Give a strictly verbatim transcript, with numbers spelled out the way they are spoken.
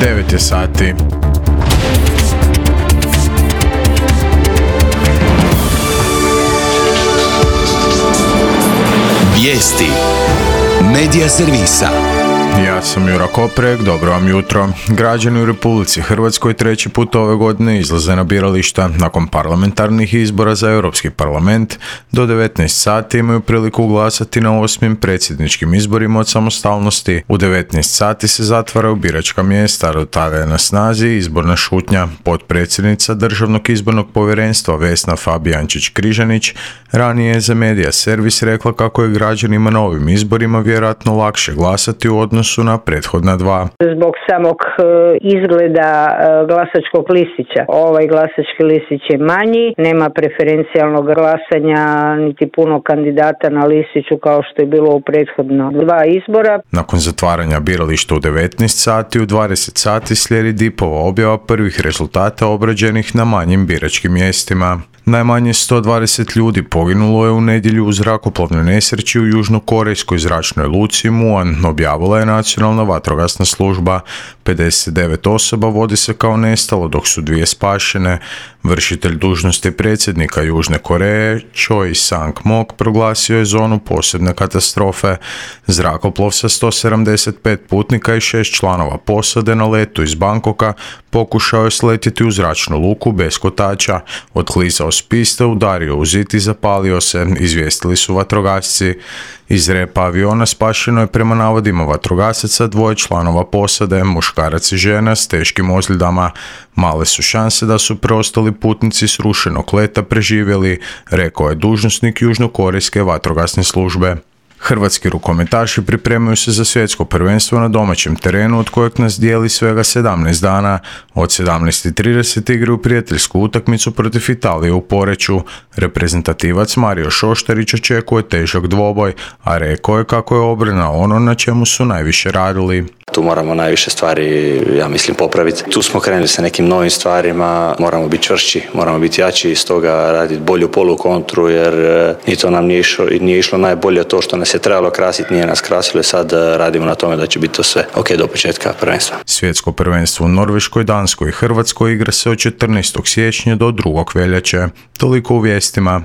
devet je sati. Vijesti Medija servisa. Ja sam Jura Koprek, dobro vam jutro. Građani u Republici Hrvatskoj treći put ove godine izlaze na birališta. Nakon parlamentarnih izbora za Europski parlament do devetnaest sati imaju priliku glasati na osmim predsjedničkim izborima od samostalnosti. U devetnaest sati se zatvaraju biračka mjesta, do tada je na snazi izborna šutnja. Potpredsjednica Državnog izbornog povjerenstva Vesna Fabijančić-Križanić ranije je za Medija servis rekla kako je građanima na ovim izborima vjerojatno lakše glasati u odnosu su na prethodna dva. Zbog samog izgleda glasačkog listića. Ovaj glasački listić je manji, nema preferencijalnog glasanja niti puno kandidata na listiću kao što je bilo u prethodno dva izbora. Nakon zatvaranja birališta u devetnaest sati, u dvadeset sati slijedi dipova objava prvih rezultata obrađenih na manjim biračkim mjestima. Najmanje sto dvadeset ljudi poginulo je u nedjelju u zrakoplovnoj nesreći u južnokorejskoj zračnoj luci Muan, objavila je Nacionalna vatrogasna služba. pedeset devet osoba vodi se kao nestalo, dok su dvije spašene. Vršitelj dužnosti predsjednika Južne Koreje, Choi Sang-mok, proglasio je zonu posebne katastrofe. Zrakoplov sa sto sedamdeset pet putnika i šest članova posade na letu iz Bangkoka pokušao je sletjeti u zračnu luku bez kotača. Odklizao s piste, udario u zid i zapalio se, izvijestili su vatrogasci. Iz repa aviona spašeno je prema navodima vatrogasaca dvoje članova posade, muškarac i žena s teškim ozljedama. Male su šanse da su preostali putnici s rušenog leta preživjeli, rekao je dužnosnik južnokorejske vatrogasne službe. Hrvatski rukometaši pripremaju se za svjetsko prvenstvo na domaćem terenu od kojeg nas dijeli svega sedamnaest dana. Od sedamnaest i trideset igraju prijateljsku utakmicu protiv Italije u Poreču. Reprezentativac Mario Šoštarić očekuje težak dvoboj, a rekao je kako je obrana ono na čemu su najviše radili. Tu moramo najviše stvari, ja mislim, popraviti. Tu smo krenuli sa nekim novim stvarima, moramo biti čvršći, moramo biti jači, stoga raditi bolju polukontru, jer ni to nam nije išlo, nije išlo najbolje. To što nas je trebalo krasiti nije nas krasilo i sad radimo na tome da će biti to sve ok do početka prvenstva. Svjetsko prvenstvo u Norveškoj, Danskoj i Hrvatskoj igra se od četrnaestog siječnja do drugog veljače. Toliko u vijestima.